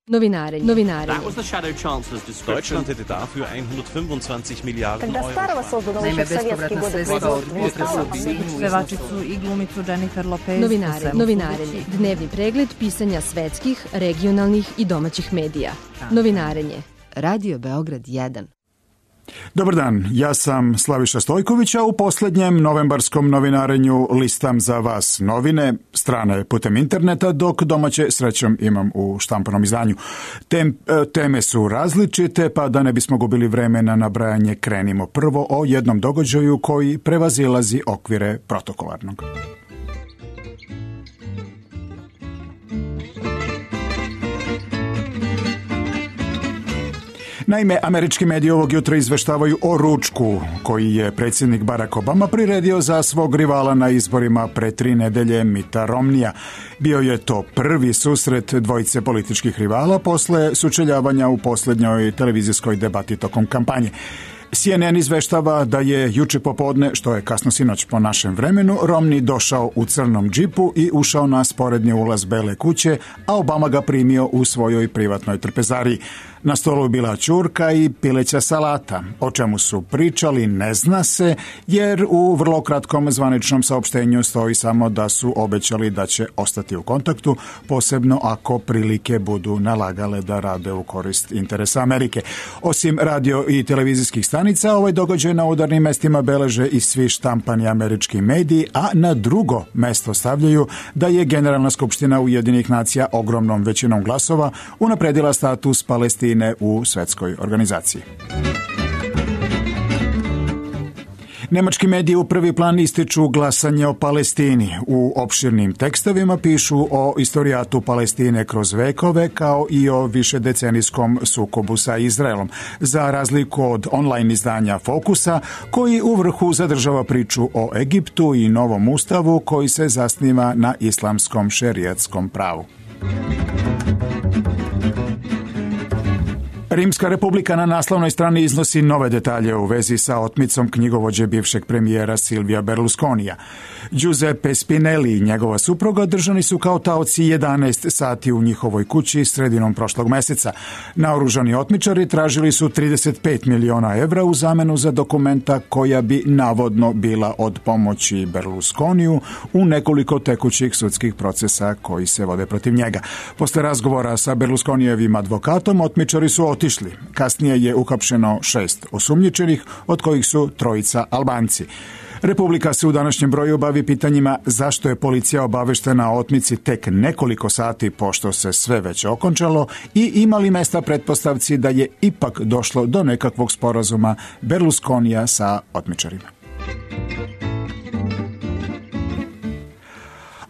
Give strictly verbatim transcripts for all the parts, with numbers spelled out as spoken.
Novinarenje. Novinarenje. Deutschland hätte dafür hundertfünfundzwanzig Miliarden Euro. Naime, bespovratna sredstva od potresa u Sinju. Pevačicu i glumicu Jennifer Lopez. Novinarenje. Novinarenje. Dnevni pregled pisanja svetskih, regionalnih i domaćih medija. Novinarenje. Radio Beograd jedan. Dobar dan, ja sam Slaviša Stojković, a u posljednjem novembarskom novinarenju listam za vas novine, strane putem interneta, dok domaće srećom imam u štampanom izdanju. Tem, teme su različite, pa da ne bismo gubili vreme na nabrajanje, krenimo prvo o jednom događaju koji prevazilazi okvire protokolarnog. Naime, američki mediji ovog jutra izveštavaju o ručku koji je predsjednik Barack Obama priredio za svog rivala na izborima pre tri nedelje, Mitta Romneya. Bio je to prvi susret dvojice političkih rivala posle sučeljavanja u posljednjoj televizijskoj debati tokom kampanje. C N N izveštava da je juče popodne, što je kasno sinoć po našem vremenu, Romney došao u crnom džipu i ušao na sporedni ulaz Bele kuće, a Obama ga primio u svojoj privatnoj trpezariji. Na stolu je bila ćurka i pileća salata. O čemu su pričali ne zna se, jer u vrlo kratkom zvaničnom saopštenju stoji samo da su obećali da će ostati u kontaktu, posebno ako prilike budu nalagale da rade u korist interesa Amerike. Osim radio i televizijskih stanica, ovaj događaj na udarnim mestima beleže i svi štampani američki mediji, a na drugo mesto stavljaju da je Generalna skupština Ujedinjenih nacija ogromnom većinom glasova unapredila status Palestine u svetskoj organizaciji. Nemački mediji u prvi plan ističu glasanje o Palestini. U opširnim tekstovima pišu o istorijatu Palestine kroz vekove, kao i o višedecenijskom sukobu sa Izraelom, za razliku od online izdanja Fokusa, koji u vrhu zadržava priču o Egiptu i novom ustavu koji se zasniva na islamskom šerijatskom pravu. Rimska republika na naslovnoj strani iznosi nove detalje u vezi sa otmicom knjigovođe bivšeg premijera Silvija Berlusconija. Giuseppe Spinelli i njegova supruga držani su kao taoci jedanaest sati u njihovoj kući sredinom prošlog meseca. Naoružani otmičari tražili su trideset pet miliona evra u zamenu za dokumenta koja bi navodno bila od pomoći Berlusconiju u nekoliko tekućih sudskih procesa koji se vode protiv njega. Posle razgovora sa Berlusconijevim advokatom, otmičari su otišli. Kasnije je uhapšeno šest osumnjičenih, od kojih su trojica Albanci. Republika se u današnjem broju bavi pitanjima zašto je policija obaveštena o otmici tek nekoliko sati pošto se sve već okončalo i ima li mesta pretpostavci da je ipak došlo do nekakvog sporazuma Berlusconija sa otmičarima.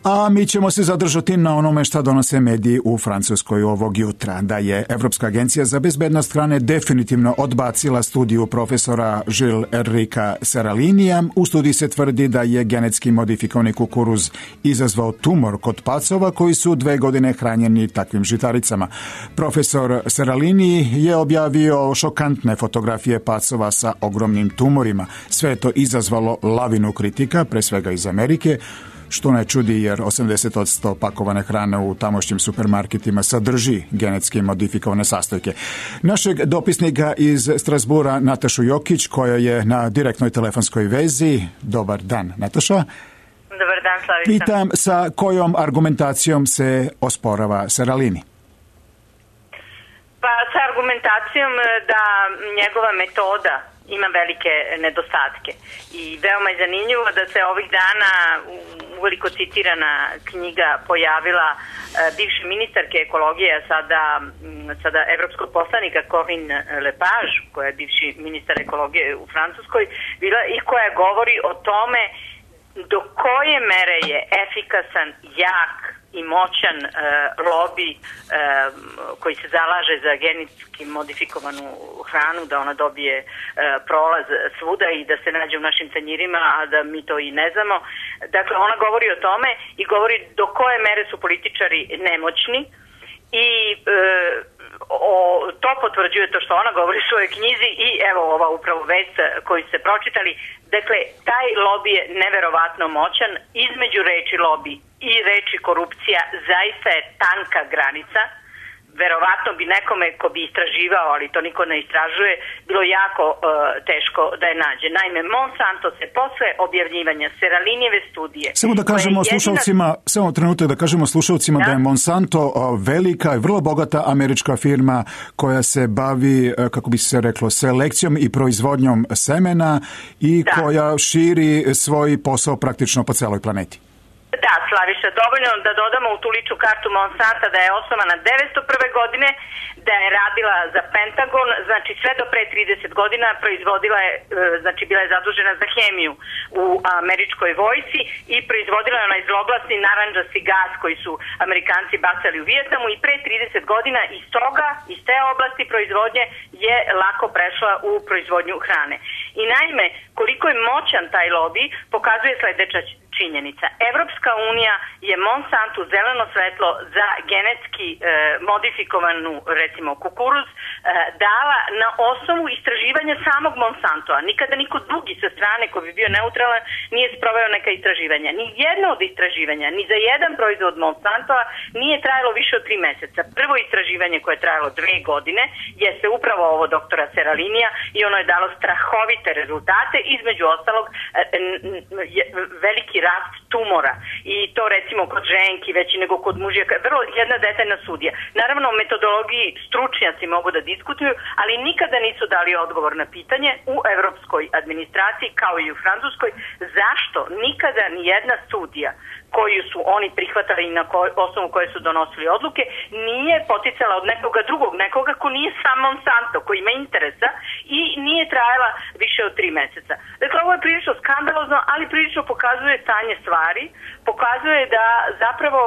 A mi ćemo se zadržati na onome šta donose mediji u Francuskoj ovog jutra, da je Evropska agencija za bezbednost hrane definitivno odbacila studiju profesora Gilles Enrica Seralinija. U studiji se tvrdi da je genetski modifikovani kukuruz izazvao tumor kod pacova koji su dve godine hranjeni takvim žitaricama. Profesor Seralini je objavio šokantne fotografije pacova sa ogromnim tumorima. Sve je to izazvalo lavinu kritika, pre svega iz Amerike, što ne čudi jer osamdeset posto pakovane hrane u tamošnjim supermarketima sadrži genetski modifikovane sastojke. Našeg dopisnika iz Strasbura Natašu Jokić, koja je na direktnoj telefonskoj vezi. Dobar dan, Nataša. Dobar dan, Slavica. Pitam sa kojom argumentacijom se osporava Seralini? Pa sa argumentacijom da njegova metoda ima velike nedostatke. I veoma je zanimljivo da se ovih dana uveliko citirana knjiga pojavila bivše ministarke ekologije, a sada, sada evropskog poslanika Corinne Lepage, koja je bivši ministar ekologije u Francuskoj, bila i koja govori o tome do koje mere je efikasan, jak i moćan e, lobi e, koji se zalaže za genetski modifikovanu hranu, da ona dobije e, prolaz svuda i da se nađe u našim tanjirima, a da mi to i ne znamo. Dakle, ona govori o tome i govori do koje mere su političari nemoćni i e, o, to potvrđuje to što ona govori u svojoj knjizi i evo ova upravo vest koju ste pročitali. Dakle, taj lobi je neverovatno moćan. Između reči lobi i reči korupcija zaista je tanka granica. verovatno bi nekome ko bi istraživao, ali to niko ne istražuje, bilo jako uh, teško da je nađe. Naime, Monsanto se posle objavljivanja Seralinijeve studije... Samo da kažemo jedina... slušalcima, samo trenutak da kažemo slušalcima da, da je Monsanto uh, velika i vrlo bogata američka firma koja se bavi, uh, kako bi se reklo, selekcijom i proizvodnjom semena i da. koja širi svoj posao praktično po celoj planeti. Da, Slaviša, dovoljno da dodamo u tu ličnu kartu Monsanta da je osnovana devetsto prve godine, da je radila za Pentagon, znači sve do pre trideset godina proizvodila je, znači bila je zadužena za hemiju u američkoj vojsci i proizvodila je onaj zloglasni narandžasti gas koji su Amerikanci bacali u Vijetnamu i pre trideset godina iz toga, iz te oblasti proizvodnje je lako prešla u proizvodnju hrane. I naime, koliko je moćan taj lobby pokazuje sledeća činjenica. Evropska unija je Monsantu zeleno svetlo za genetski e, modifikovanu, recimo, kukuruz e, dala na osnovu istraživanja samog Monsantova. Nikada niko drugi sa strane koji bi bio neutralan nije sproveo neka istraživanja. Ni jedno od istraživanja, ni za jedan proizvod Monsantova nije trajalo više od tri meseca. Prvo istraživanje koje je trajalo dve godine jeste upravo ovo doktora Seralinija i ono je dalo strahovite rezultate, između ostalog e, e, veliki rast tumora i to recimo kod ženki veći nego kod mužjaka, vrlo jedna detaljna studija. Naravno, o metodologiji stručnjaci mogu da diskutuju, ali nikada nisu dali odgovor na pitanje u evropskoj administraciji kao i u francuskoj zašto nikada ni jedna studija koju su oni prihvatali i na koj, osnovu koje su donosili odluke nije poticala od nekoga drugog, nekoga ko nije sam Monsanto, koji ima interesa i nije trajala više od tri meseca. Dakle, ovo je prilično skandalozno, ali prilično pokazuje stanje stvari, pokazuje da zapravo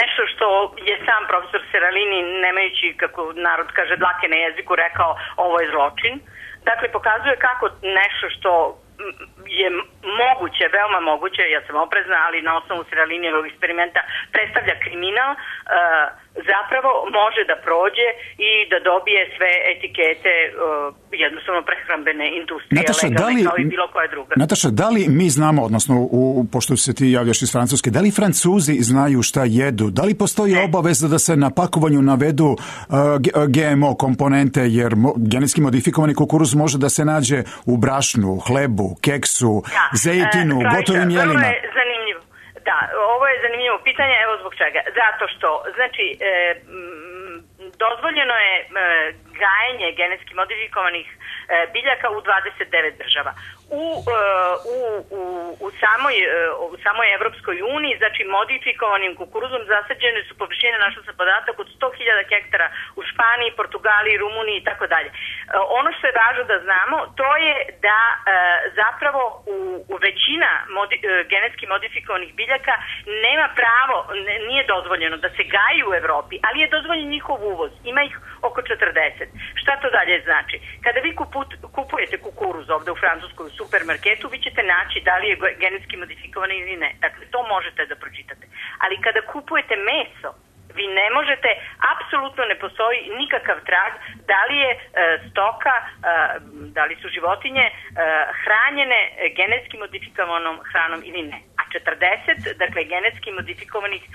nešto što je sam profesor Seralini, nemajući, kako narod kaže, dlake na jeziku, rekao ovo je zločin. Dakle, pokazuje kako nešto što je moguće, veoma moguće, ja sam oprezna, ali na osnovu Seralinijevog eksperimenta predstavlja kriminal, uh, zapravo može da prođe i da dobije sve etikete uh, jednostavno prehrambene industrije, Nataša, legalne, da li, kao i bilo koja druga. Nataša, da li mi znamo, odnosno u, pošto se ti javljaš iz Francuske, da li Francuzi znaju šta jedu? Da li postoji ne. obaveza da se na pakovanju navedu uh, G M O komponente, jer mo, genetski modifikovani kukuruz može da se nađe u brašnu, hlebu, keksu, da. zejtinu, e, gotovim jelima? Vrlo je zanimljivo. Da, ovo je zanimljivo pitanje, evo zbog čega. Zato što, znači, e, m, dozvoljeno je e, gajenje genetski modifikovanih e, biljaka u dvadeset devet država. U, u, u, u, samoj, u samoj Evropskoj uniji, znači modifikovanim kukuruzom zasađene su površine, našao sam podatak, od sto hiljada hektara u Španiji, Portugaliji, Rumuniji i tako dalje. Ono što je važno da znamo, to je da e, zapravo u, u većina modi, e, genetski modifikovanih biljaka nema pravo, ne, nije dozvoljeno da se gaji u Evropi, ali je dozvoljen njihov uvoz. Ima ih oko četrdeset. Šta to dalje znači? Kada vi kuput, kupujete kukuruz ovde u Francuskoj u supermarketu, vi ćete naći da li je genetski modifikovan ili ne. Dakle, to možete da pročitate. Ali kada kupujete meso, vi ne možete, apsolutno ne postoji nikakav trag da li je e, stoka, e, da li su životinje e, hranjene genetski modifikovanom hranom ili ne. A četrdeset, dakle, genetski modifikovanih e,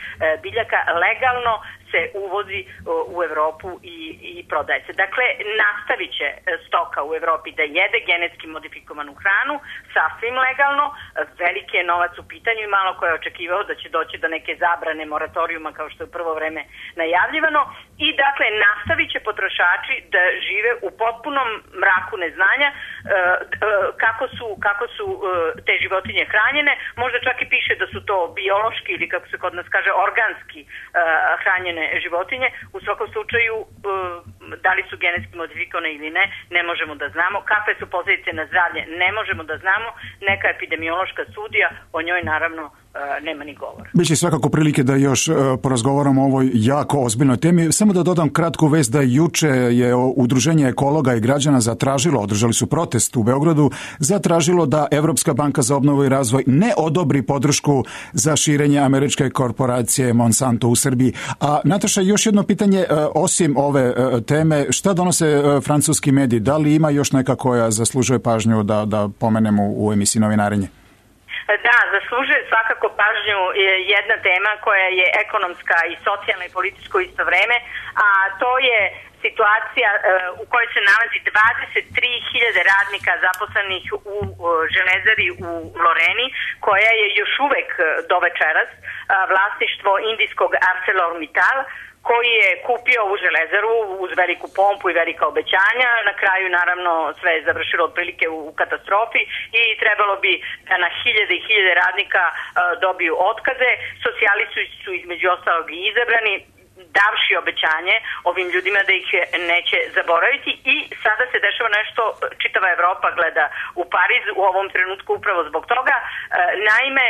biljaka legalno se uvozi u Evropu i, i prodaje se. Dakle, nastavit će stoka u Evropi da jede genetski modifikovanu hranu, sasvim legalno, veliki je novac u pitanju i malo ko je očekivao da će doći do neke zabrane moratorijuma kao što je u prvo vreme najavljivano i dakle, nastavit će potrošači da žive u potpunom mraku neznanja kako su, kako su te životinje hranjene, možda čak i piše da su to biološki ili kako se kod nas kaže organski hranjene životinje, u svakom slučaju da li su genetski modifikovane ili ne, ne možemo da znamo. Kakve su posljedice na zdravlje, ne možemo da znamo. Neka epidemiološka studija, o njoj naravno nema ni govora. Biće svakako prilike da još porazgovaramo o ovoj jako ozbiljnoj temi. Samo da dodam kratku vest da juče je Udruženje ekologa i građana zatražilo, održali su protest u Beogradu, zatražilo da Evropska banka za obnovu i razvoj ne odobri podršku za širenje američke korporacije Monsanto u Srbiji. A Nataša, još jedno pitanje, osim ove teme, šta donose francuski mediji? Da li ima još neka koja zaslužuje pažnju da, da pomenemo u emisiji Novinarenje? Da, zaslužuje svakako pažnju jedna tema koja je ekonomska i socijalna i političko isto vreme, a to je situacija u kojoj se nalazi dvadeset tri hiljade radnika zaposlenih u železari u Loreni, koja je još uvek do večeras vlasništvo indijskog ArcelorMittal, koji je kupio ovu železaru uz veliku pompu i velika obećanja. Na kraju, naravno, sve je završilo otprilike u katastrofi i trebalo bi da na hiljade i hiljade radnika dobiju otkaze. Socijalisti su između ostalog i izabrani, davši obećanje ovim ljudima da ih neće zaboraviti, i sada se dešava nešto, čitava Evropa gleda u Pariz u ovom trenutku upravo zbog toga. Naime,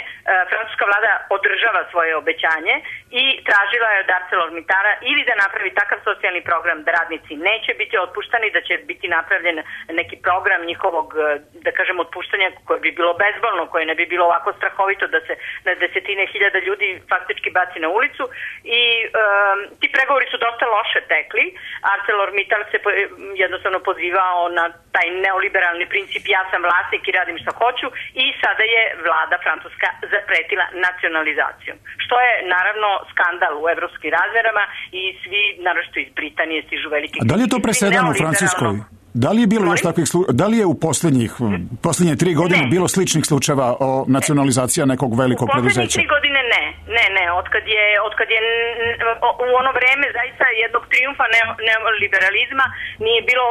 francuska vlada održava svoje obećanje i tražila je od ArcelorMittala ili da napravi takav socijalni program da radnici neće biti otpuštani, da će biti napravljen neki program njihovog, da kažem, otpuštanja koje bi bilo bezbolno, koje ne bi bilo ovako strahovito da se na desetine hiljada ljudi faktički baci na ulicu. I um, ti pregovori su dosta loše tekli. ArcelorMittal se jednostavno pozivao na taj neoliberalni princip ja sam vlasnik i radim što hoću, i sada je vlada francuska zapretila nacionalizacijom. Što je naravno skandal u evropskim razmerama i svi, naročito iz Britanije, stižu veliki... A da li je to presedan u Francuskoj? Da li je bilo još takvih slučajeva? Da li je u posljednjih, posljednje tri godine ne. bilo sličnih slučajeva o nacionalizacija nekog velikog preduzeća? U posljednjih tri godine ne. Ne, ne. Otkad je, otkad je u ono vreme zaista jednog trijumfa neoliberalizma nije bilo,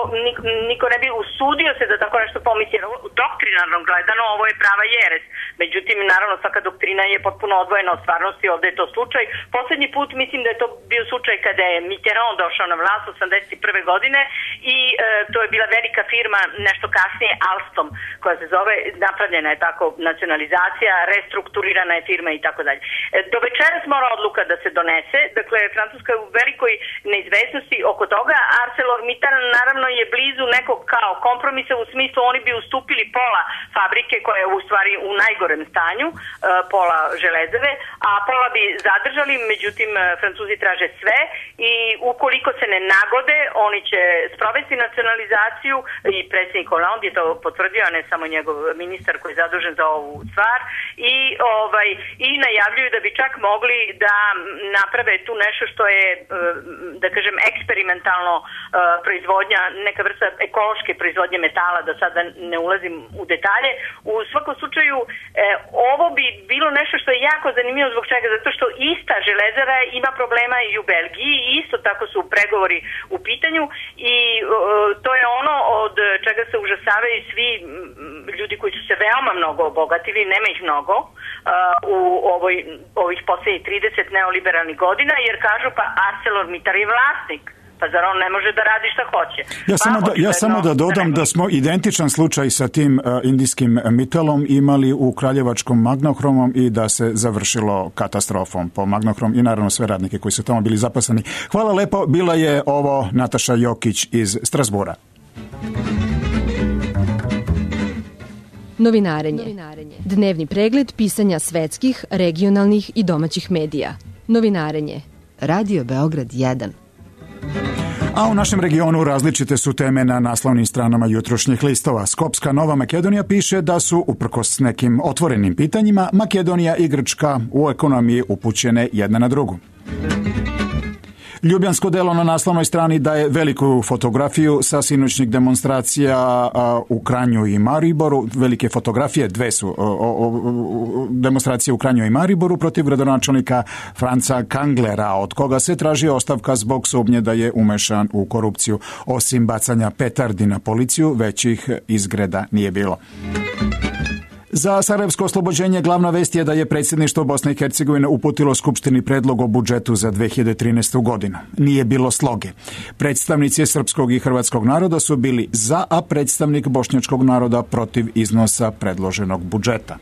niko ne bi usudio se da tako nešto pomisli. Doktrinarno gledano ovo je prava jeres. Međutim, naravno, svaka doktrina je potpuno odvojena od stvarnosti. Ovdje je to slučaj. Posljednji put mislim da je to bio slučaj kada je Mitterrand došao na vlast osamdeset prve godine i e, to je bila velika firma, nešto kasnije Alstom, koja se zove, napravljena je tako nacionalizacija, restrukturirana je firma i tako dalje. Do večeras mora odluka da se donese, dakle Francuska je u velikoj neizvesnosti oko toga. ArcelorMittal naravno je blizu nekog kao kompromisa, u smislu oni bi ustupili pola fabrike koja je u stvari u najgorem stanju, pola železare, a pola bi zadržali, međutim Francuzi traže sve i ukoliko se ne nagode, oni će sprovesti nacionalizaciju i predsjednik Hollande je to potvrdio, a ne samo njegov ministar koji je zadužen za ovu stvar, i ovaj i najavljuju da bi čak mogli da naprave tu nešto što je, da kažem, eksperimentalno proizvodnja, neka vrsta ekološke proizvodnje metala, da sada ne ulazim u detalje. U svakom slučaju ovo bi bilo nešto što je jako zanimljivo. Zbog čega? Zato što ista železara ima problema i u Belgiji i isto tako su pregovori u pitanju i to je ono od čega se užasavaju svi ljudi koji su se veoma mnogo obogatili, nema ih mnogo u ovoj, ovih posljednjih trideset neoliberalnih godina, jer kažu pa ArcelorMittal je vlasnik. Pa zar on ne može da radi šta hoće? Ja samo da, ja samo da dodam da smo identičan slučaj sa tim uh, indijskim Mittalom imali u kraljevačkom Magnohromom i da se završilo katastrofom po Magnohrom i naravno sve radnike koji su tamo bili zaposleni. Hvala lepo, bila je ovo Nataša Jokić iz Strasbura. Novinarenje. Dnevni pregled pisanja svetskih, regionalnih i domaćih medija. Novinarenje. Radio Beograd jedan. A u našem regionu različite su teme na naslovnim stranama jutrošnjih listova. Skopska Nova Makedonija piše da su, uprkos nekim otvorenim pitanjima, Makedonija i Grčka u ekonomiji upućene jedna na drugu. Ljubljansko delo na naslovnoj strani daje veliku fotografiju sa sinoćnih demonstracija u Kranju i Mariboru. Velike fotografije, dve su o, o, o, demonstracije u Kranju i Mariboru protiv gradonačelnika Franca Kanglera, od koga se traži ostavka zbog sumnje da je umešan u korupciju. Osim bacanja petardi na policiju, većih izgreda nije bilo. Za sarajevsko oslobođenje glavna vest je da je predsjedništvo Bosne i Hercegovine uputilo Skupštini predlog o budžetu za dve hiljade trinaestu. godinu. Nije bilo sloge. Predstavnici srpskog i hrvatskog naroda su bili za, a predstavnik bošnjačkog naroda protiv iznosa predloženog budžeta.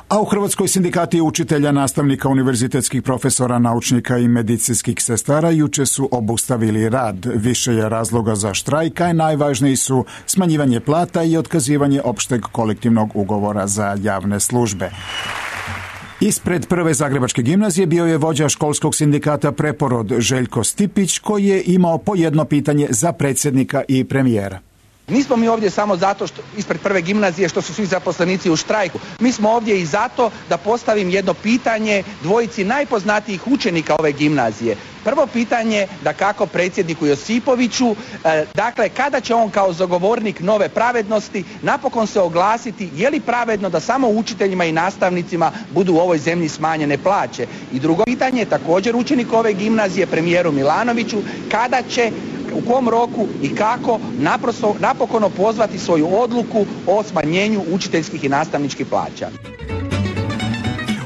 A u Hrvatskoj sindikati učitelja, nastavnika, univerzitetskih profesora, naučnika i medicinskih sestara juče su obustavili rad. Više je razloga za štrajk, a najvažniji su smanjivanje plata i otkazivanje opšteg kolektivnog ugovora za javne službe. Ispred prve zagrebačke gimnazije bio je vođa školskog sindikata Preporod Željko Stipić, koji je imao po jedno pitanje za predsjednika i premijera. Nismo mi ovdje samo zato što ispred prve gimnazije što su svi zaposlenici u štrajku. Mi smo ovdje i zato da postavim jedno pitanje dvojici najpoznatijih učenika ove gimnazije. Prvo pitanje da kako predsjedniku Josipoviću, e, dakle kada će on kao zagovornik nove pravednosti napokon se oglasiti je li pravedno da samo učiteljima i nastavnicima budu u ovoj zemlji smanjene plaće. I drugo pitanje također učenik ove gimnazije premijeru Milanoviću kada će u kom roku i kako naprosto, napokon opozvati svoju odluku o smanjenju učiteljskih i nastavničkih plaća.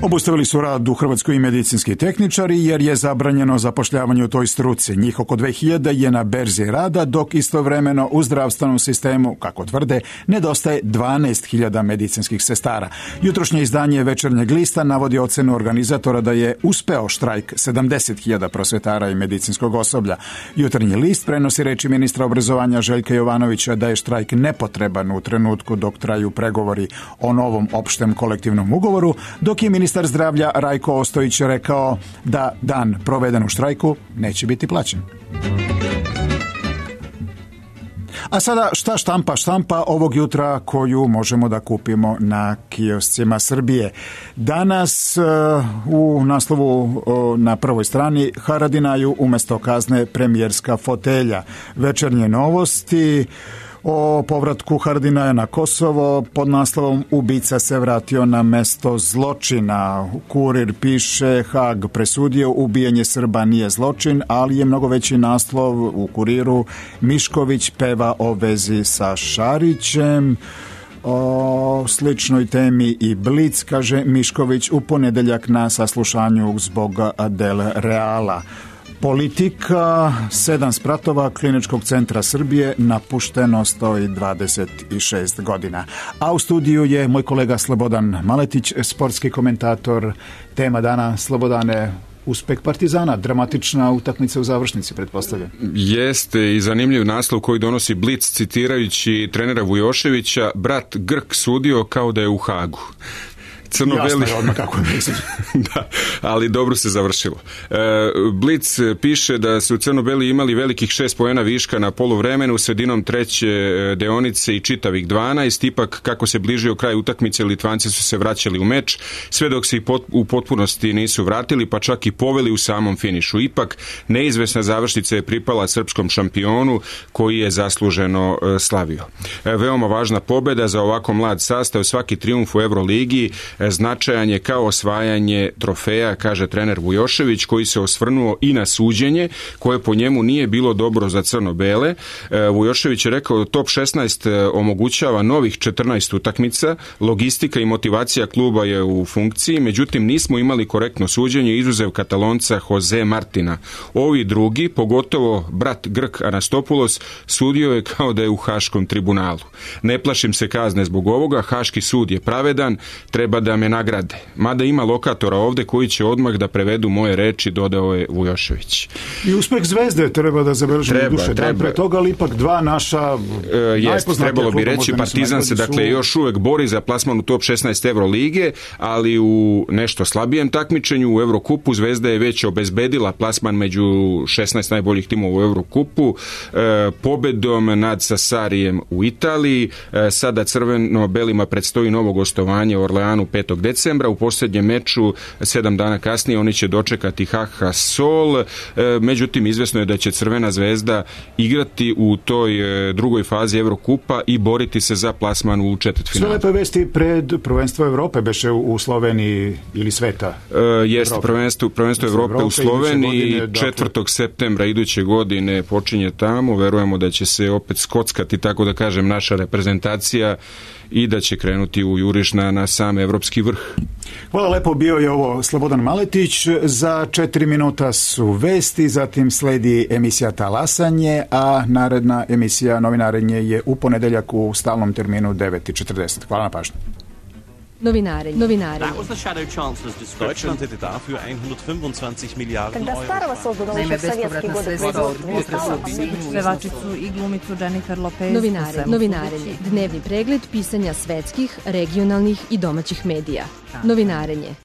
Obustavili su rad u Hrvatskoj i medicinski tehničari jer je zabranjeno zapošljavanje u toj struci. Njih oko dve hiljade je na berzi rada, dok istovremeno u zdravstvenom sistemu, kako tvrde, nedostaje dvanaest hiljada medicinskih sestara. Jutrošnje izdanje Večernjeg lista navodi ocenu organizatora da je uspeo štrajk sedamdeset hiljada prosvetara i medicinskog osoblja. Jutarnji list prenosi reči ministra obrazovanja Željka Jovanovića da je štrajk nepotreban u trenutku dok traju pregovori o novom opštem kolektivnom ugovoru, dok je ministar Ministar zdravlja Rajko Ostojić rekao da dan proveden u štrajku neće biti plaćen. A sada šta štampa štampa ovog jutra koju možemo da kupimo na kioscima Srbije. Danas u naslovu na prvoj strani Haradinaju umjesto kazne premijerska fotelja. Večernje novosti o povratku Haradinaja na Kosovo pod naslovom Ubica se vratio na mesto zločina. Kurir piše Hag presudio ubijanje Srba nije zločin, ali je mnogo veći naslov u Kuriru Mišković peva o vezi sa Šarićem. O sličnoj temi i Blic, kaže Mišković u ponedeljak na saslušanju zbog Del Reala. Politika, sedam spratova Kliničkog centra Srbije napušteno stoji dvadeset šest godina. A u studiju je moj kolega Slobodan Maletić, sportski komentator. Tema dana, Slobodane, uspeh Partizana, dramatična utakmica u završnici, pretpostavljam. Jeste i zanimljiv naslov koji donosi Blic citirajući trenera Vujoševića, brat Grk sudio kao da je u Hagu. Crno-beli... Jasno je odmah kako je mislim. Da, ali dobro se završilo. E, Blic piše da su crno-beli imali velikih šest poena viška na poluvremenu, sredinom treće deonice i čitavih dvanaest, ipak kako se bližio kraj utakmice, Litvanci su se vraćali u meč, sve dok se i pot, u potpunosti nisu vratili, pa čak i poveli u samom finišu. Ipak, neizvesna završnica je pripala srpskom šampionu, koji je zasluženo e, slavio. E, veoma važna pobeda za ovako mlad sastav, svaki trijumf u Euroligi značajan je kao osvajanje trofeja, kaže trener Vujošević, koji se osvrnuo i na suđenje, koje po njemu nije bilo dobro za crno-bele. Vujošević je rekao da top šesnaest omogućava novih četrnaest utakmica, logistika i motivacija kluba je u funkciji, međutim nismo imali korektno suđenje, izuzev Katalonca Jose Martina. Ovi drugi, pogotovo brat Grk Anastopulos, sudio je kao da je u Haškom tribunalu. Ne plašim se kazne zbog ovoga, Haški sud je pravedan, treba da me nagrade. Mada ima lokatora ovde koji će odmah da prevedu moje reči, dodao je Vujošević. I uspeh Zvezde treba da zabeležimo treba, duše. Treba. Pre toga, ali ipak dva naša e, jest, trebalo bi reći, Partizan se dakle su... još uvek bori za plasman u top šesnaest Evrolige, ali u nešto slabijem takmičenju u Evrokupu. Zvezda je već obezbedila plasman među šesnaest najboljih timova u Evrokupu, e, pobedom nad Sassarijem u Italiji. E, sada crveno-belima predstoji novo gostovanje u Orleanu petog decembra. U posljednjem meču sedam dana kasnije oni će dočekati H H Sol. E, međutim, izvesno je da će Crvena zvezda igrati u toj e, drugoj fazi Evrokupa i boriti se za plasman u četvrtfinalu. Sve lepe vesti pred prvenstvo Evrope beše u Sloveniji ili sveta? E, jeste, prvenstvo, prvenstvo Evrope, Evrope u Sloveniji godine, četvrtog dakle... septembra iduće godine počinje tamo. Verujemo da će se opet skockati, tako da kažem, naša reprezentacija i da će krenuti u juriš na, na sam evropski vrh. Hvala lepo, bio je ovo Slobodan Maletić. Za četiri minuta su vesti, zatim sledi emisija Talasanje, a naredna emisija Novinarenje je u ponedeljak u stalnom terminu devet i četrdeset. Hvala na pažnju. Novinarenje. Novinarenje. That was the Shadow Chancellor's description. Deutschland hätte dafür hundertfünfundzwanzig Milliarden Когда старого создано еще в советские годы производства, Pevačicu i glumicu Jennifer Lopez. Novinarenje. Novinarenje. Dnevni pregled pisanja svetskih, regionalnih i domaćih medija. Novinarenje.